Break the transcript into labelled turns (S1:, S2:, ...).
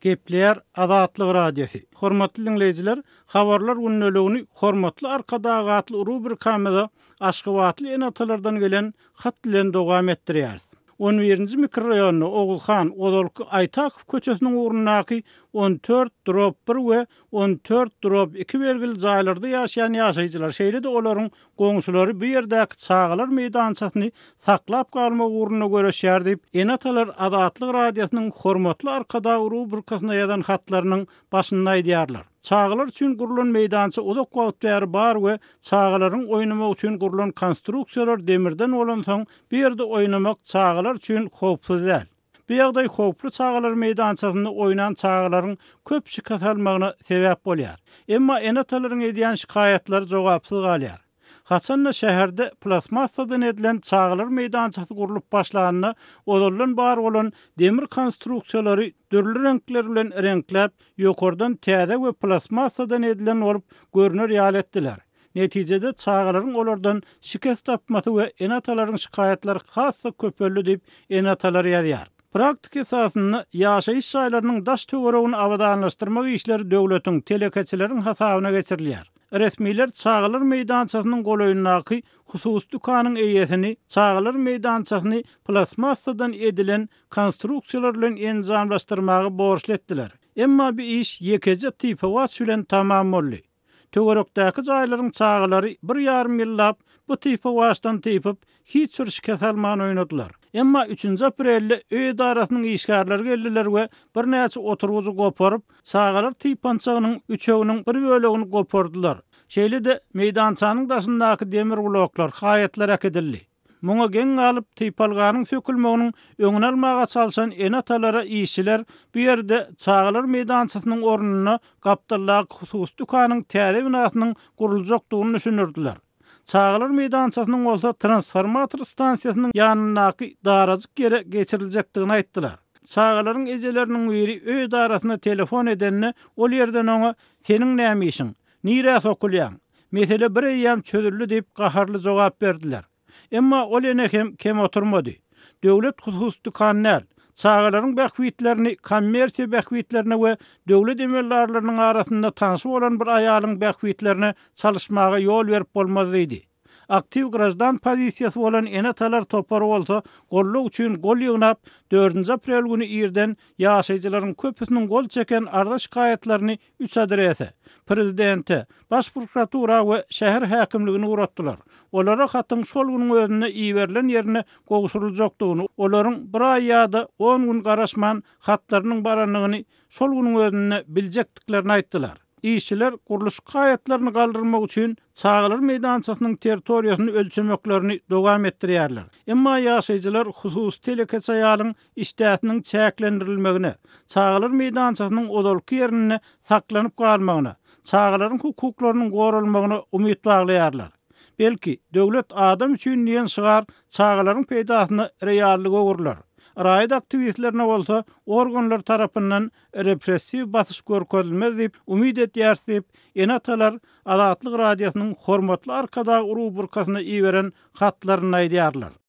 S1: Gepleýär Azatlyk Radiosy. Hormatly diňleýjiler, Habarlar gündeligini Hormatly Arkadag atly rubrikamyza aşgabatly ene-atalardan gelen hat bilen dowam etdirýäris. On birinji mikroraýonda Oguzhan, ozalky Aýtakow köçesiniň ugrundaky on dört drob bir we on dört drob iki belgili jaýlarda ýaşaýan ýaşaýjylar, şeýle-de olaryň goňşulary bu ýerdäki çagalar meýdançasyny saklap galmak ugrunda göreşýär diýip, ene-atalar Azatlyk Radiosynyň Hormatly Arkadag rubrikasyna ýazan hatlarynyň başynda aýdýarlar. Çagalar üçin gurlan meýdança uzak wagt bäri bar we çagalaryň oýnamagy üçin gurlan konstruksiýalar demirden bolansoň, bu ýerde oýnamak çagalar üçin howpsuz däl. Bu ýagdaý howply çagalar meýdançasynda oýnan çagalaryň köp şikes almagyna sebäp bolýar. Emma ene-atalaryň edýän şikaýatlary jogapsyz galýar. Haçan-da şäherde plastmassadan edilen çagalar meýdançasy gurlup başlanynda ozaldan bar bolan demir konstruksiýalary dürli reňkler bilen reňkläp, ýokardan täze we plastmassadan edilen bolup görner ýaly etdiler. Netijede çagalaryň olardan şikes tapmasy we ene-atalaryň şikaýatlary has-da köpeldi diýip, ene-atalar ýazýar. Praktika esasynda ýaşaýyş jaýlarynyň daş-töweregini abadanlaşdyrmak işleri döwletiň, telekeçileriň hasabyna geçirilýär. Resmiler çagalar meýdançasynyň golaýyndaky hususy dükanyň eýesini çagalar meýdançasyny plastmassadan edilen konstruksiýalar bilen enjamlaşdyrmaga borçly etdiler. Emma bu iş ýekeje typawaç bilen tamam boldy. Töwerekdäki jaýlaryň çagalary bir ýarym ýyllap bu typawaçdan typyp, hiç bir şikes alman oýnadylar. Emma üçünji aprelde öý edarasynyň işgärleri geldiler we birnäçe oturgyjy goparyp, çagalar typançagynyň üçeginiň bir bölegini gopardylar. Şeýle-de, meýdançanyň daşyndaky demir bloklar, haýatlar äkidildi. Muňa geň galyp, typalganyň sökülmeginiň öňüni almaga çalşan ene-atalara işçiler bu ýerde çagalar meýdançasynyň ornunda gapdaldaky hususy dükanyň täze binasynyň guruljakdygyny düşündirdiler. Çagalar meýdançasynyň bolsa transformator stansiýasynyň ýanyndaky darajyk ýere geçiriljekdigini aýtdylar. Çagalaryň ejeleriniň biri öý edarasyna telefon edende, ol ýerden oňa Seniň näme işiň? Nirä sokulýaň? Mesele bir eýýäm çözüldi diýip gaharly jogap berdiler. Emma ol ene hem kem oturmady. Döwlet hususy dükan däl. Çagalaryň bähbitlerini kommersiýa bähbitlerine we döwlet emeldarlarynyň arasynda tanşy bolan bir aýalyň bähbitlerine çalyşmaga ýol berip bolmaz diýdi. Aktiw graždan pozisiýasy bolan ene-atalar topary bolsa goldaw üçin gol ýygnap, dördünji aprel güni irden ýaşaýjylaryň köpüsiniň gol çeken arza-şikaýatlaryny üç adrese, prezidente, Baş prokuratura we şäher häkimligine ugratdylar. Olara hatyň şol günüň özünde iberilen ýerine gowşuryljakdygyny, olaryň bir aý ýa-da on gün garaşman hatlarynyň barandygyny şol günüň özünde biljekdiklerini aýtdylar. Işçiler gurluşyk haýatlaryny galdyrmak üçin çagalar meýdançasynyň territoriýasyny ölçemeklerini dowam etdirýärler. Emma ýaşaýjylar hususy telekeçi aýalyň işdäsiniň çäklendirilmegine, çagalar meýdançasynyň ozalky ýerinde saklanyp galmagyna, çagalaryň hukuklarynyň goralmagyna umyt baglaýarlar. Belki, Döwlet adam üçin diýen şygar çagalaryň peýdasyna reallyga öwrüler. Raýat aktiwistlerine bolsa organlar tarapyndan repressiw basyş görkezilmez diýip umyt edýäris diýip, ene-atalar Azatlyk Radiosynyň Hormatly Arkadag rubrikasyna iberen hatlarynda aýdýarlar.